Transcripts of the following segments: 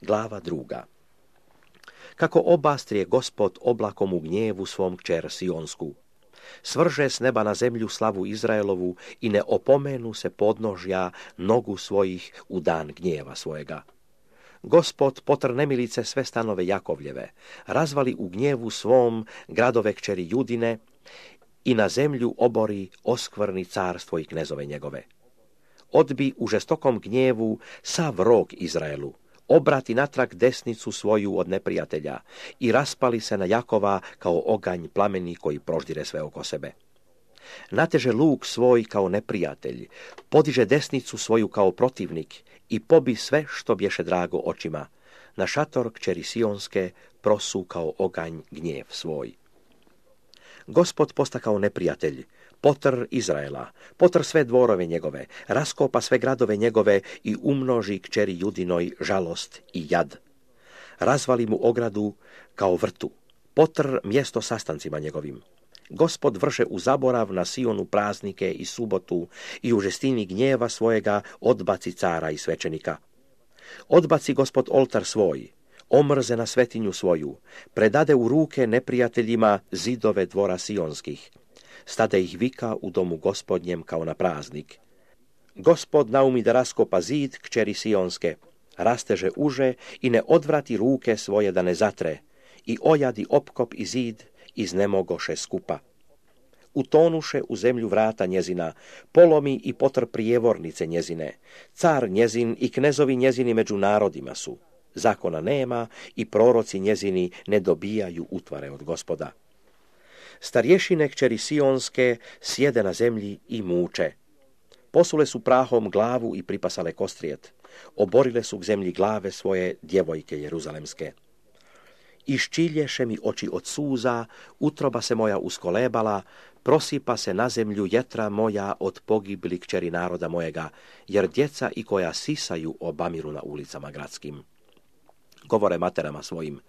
Glava 2. Kako obastrije Gospod oblakom u gnjevu svom kćer Sionsku. Svrže s neba na zemlju slavu Izraelovu i ne opomenu se podnožja nogu svojih u dan gnjeva svojega. Gospod potr nemilice sve stanove Jakovljeve, razvali u gnjevu svom gradove kćeri Judine i na zemlju obori oskvrni carstvo i knezove njegove. Odbi u žestokom gnjevu sav rog Izraelu, obrati natrag desnicu svoju od neprijatelja i raspali se na Jakova kao oganj plameni koji proždire sve oko sebe. Nateže luk svoj kao neprijatelj, podiže desnicu svoju kao protivnik i pobi sve što bješe drago očima. Na šator kćeri Sionske prosu kao oganj gnjev svoj. Gospod posta kao neprijatelj, potr Izraela, potr sve dvorove njegove, raskopa sve gradove njegove i umnoži kćeri Judinoj žalost i jad. Razvali mu ogradu kao vrtu, potr mjesto sastancima njegovim. Gospod vrše u zaborav na Sionu praznike i subotu i u žestini gnjeva svojega odbaci cara i svećenika. Odbaci Gospod oltar svoj, omrze na svetinju svoju, predade u ruke neprijateljima zidove dvora sionskih. Stade ih vika u domu Gospodnjem kao na praznik. Gospod naumi da raskopa zid kćeri Sionske, rasteže uže i ne odvrati ruke svoje da ne zatre, i ojadi opkop i zid iznemogoše skupa. Utonuše u zemlju vrata njezina, polomi i potr prijevornice njezine, car njezin i knezovi njezini među narodima su. Zakona nema i proroci njezini ne dobijaju utvare od Gospoda. Starješine kćeri Sionske sjede na zemlji i muče. Posule su prahom glavu i pripasale kostrijet. Oborile su k zemlji glave svoje djevojke jeruzalemske. Iščilješe mi oči od suza, utroba se moja uskolebala, prosipa se na zemlju jetra moja od pogibli kćeri naroda mojega, jer djeca i koja sisaju obamiru na ulicama gradskim. Govore materama svojim,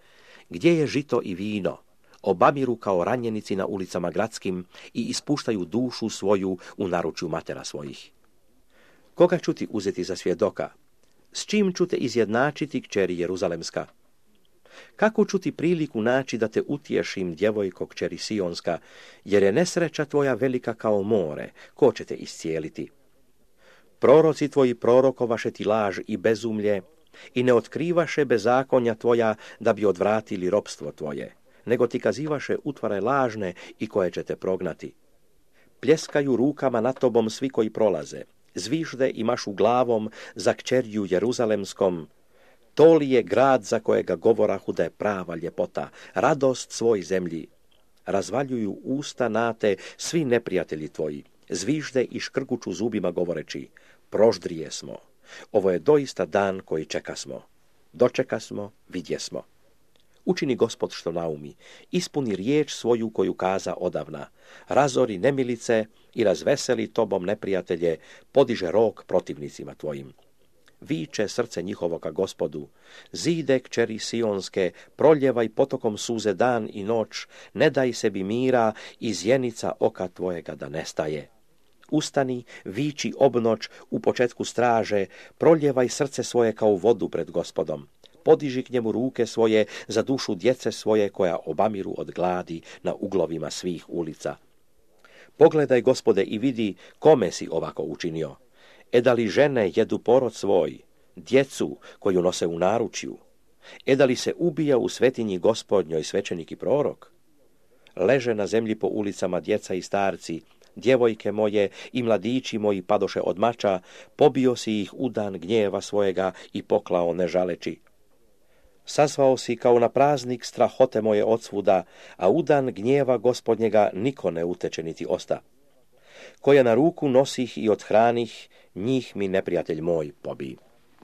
gdje je žito i vino? Obamiru kao ranjenici na ulicama gradskim i ispuštaju dušu svoju u naručju matera svojih. Koga ću ti uzeti za svjedoka? S čim ću te izjednačiti, kćeri Jeruzalemska? Kako ću ti priliku naći da te utješim, djevojko kćeri Sionska, jer je nesreća tvoja velika kao more, ko će te iscijeliti? Proroci tvoji prorokovaše ti laž i bezumlje i ne otkrivaše bezakonja tvoja da bi odvratili ropstvo tvoje, nego ti kazivaše utvare lažne i koje će te prognati. Pljeskaju rukama nad tobom svi koji prolaze, zvižde i mašu glavom za kćerju Jeruzalemskom. To li je grad za kojega govorahu da je prava ljepota, radost svoj zemlji? Razvaljuju usta nate svi neprijatelji tvoji, zvižde i škrguču zubima govoreći, proždrije smo. Ovo je doista dan koji čekasmo. Dočekasmo, vidjesmo. Učini Gospod što naumi, ispuni riječ svoju koju kaza odavna, razori nemilice i razveseli tobom neprijatelje, podiže rog protivnicima tvojim. Viče srce njihovoga Gospodu, zide kćeri Sionske, proljevaj potokom suze dan i noć, ne daj sebi mira i zjenica oka tvojega da nestaje. Ustani, viči obnoć u početku straže, proljevaj srce svoje kao vodu pred Gospodom. Podiži k njemu ruke svoje za dušu djece svoje koja obamiru od gladi na uglovima svih ulica. Pogledaj, Gospode, i vidi kome si ovako učinio. Da li žene jedu porod svoj, djecu koju nose u naručju? Da li se ubija u svetinji Gospodnjoj svećenik i prorok? Leže na zemlji po ulicama djeca i starci, djevojke moje i mladići moji padoše od mača, pobio si ih u dan gnjeva svojega i poklao ne žaleći. Sazvao si kao na praznik strahote moje odsvuda, a u dan gnjeva Gospodnjega niko ne uteče niti osta. Koja na ruku nosih i odhranih, njih mi neprijatelj moj pobi.